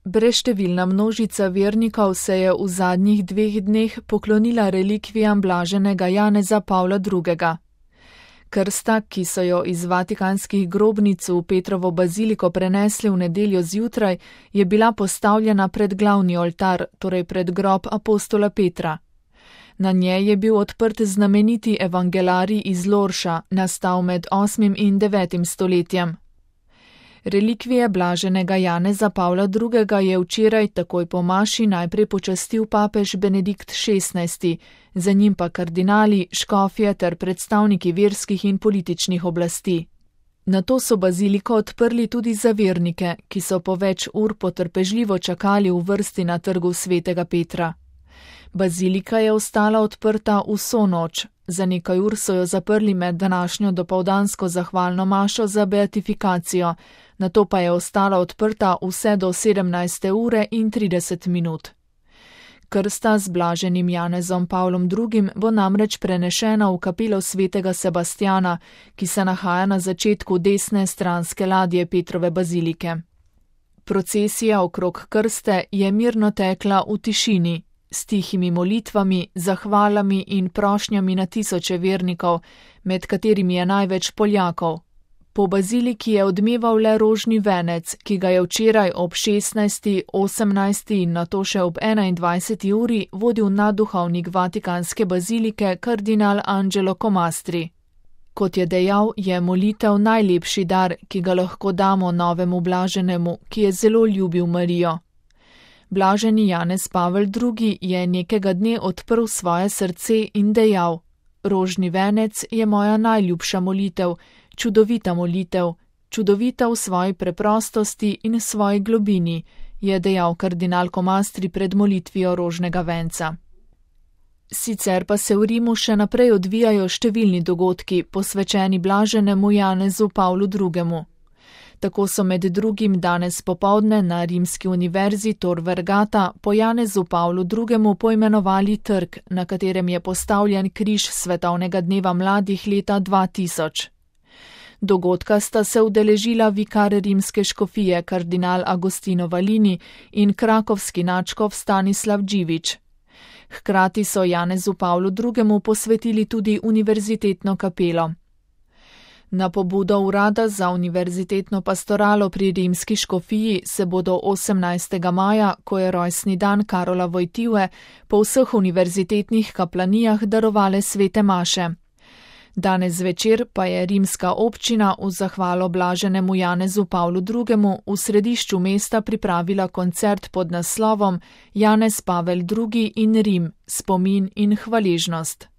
Brezštevilna množica vernikov se je v zadnjih 2 dneh poklonila relikvijam blaženega Janeza Pavla II. Krsta, ki so jo iz vatikanskih grobnic v Petrovo baziliko prenesli v nedeljo zjutraj, je bila postavljena pred glavni oltar, torej pred grob apostola Petra. Na njej je bil odprt znameniti evangelarij iz Lorša, nastal med 8. in 9. stoletjem. Relikvije blaženega Janeza Pavla II. Je včeraj takoj po maši najprej počastil papež Benedikt XVI, za njim pa kardinali, škofje ter predstavniki verskih in političnih oblasti. Nato so baziliko odprli tudi za vernike, ki so po več ur potrpežljivo čakali v vrsti na trgu svetega Petra. Bazilika je ostala odprta vso noč. Za nekaj ur so jo zaprli med današnjo dopoldansko zahvalno mašo za beatifikacijo, nato pa je ostala odprta vse do 17. ure in 30 minut. Krsta z blaženim Janezom Pavlom II. Bo namreč prenešena v kapelo svetega Sebastjana, ki se nahaja na začetku desne stranske ladje Petrove bazilike. Procesija okrog krste je mirno tekla v tišini, s tihimi molitvami, zahvalami in prošnjami na tisoče vernikov, med katerimi je največ Poljakov. Po baziliki je odmeval le rožni venec, ki ga je včeraj ob 16., 18. in nato še ob 21. uri vodil nadduhovnik vatikanske bazilike kardinal Angelo Comastri. Kot je dejal, je molitev najlepši dar, ki ga lahko damo novemu blaženemu, ki je zelo ljubil Marijo. Blaženi Janez Pavel II. Je nekega dne odprl svoje srce in dejal: Rožni venec je moja najljubša molitev, čudovita v svoji preprostosti in svoji globini, je dejal kardinal Comastri pred molitvijo rožnega venca. Sicer pa se v Rimu še naprej odvijajo številni dogodki, posvečeni blaženemu Janezu Pavlu II. Tako so med drugim danes popoldne na rimski univerzi Tor Vergata po Janezu Pavlu II. Poimenovali trg, na katerem je postavljen križ svetovnega dneva mladih leta 2000. Dogodka sta se udeležila vikar rimske škofije kardinal Agostino Valini in krakovski nadškof Stanislav Dživič. Hkrati so Janezu Pavlu II. Posvetili tudi univerzitetno kapelo. Na pobudo urada za univerzitetno pastoralo pri rimski škofiji se bodo 18. maja, ko je rojstni dan Karola Wojtyły, po vseh univerzitetnih kaplanijah darovale svete maše. Danes zvečer pa je rimska občina v zahvalo blaženemu Janezu Pavlu II. V središču mesta pripravila koncert pod naslovom Janez Pavel II. In Rim, spomin in hvaležnost.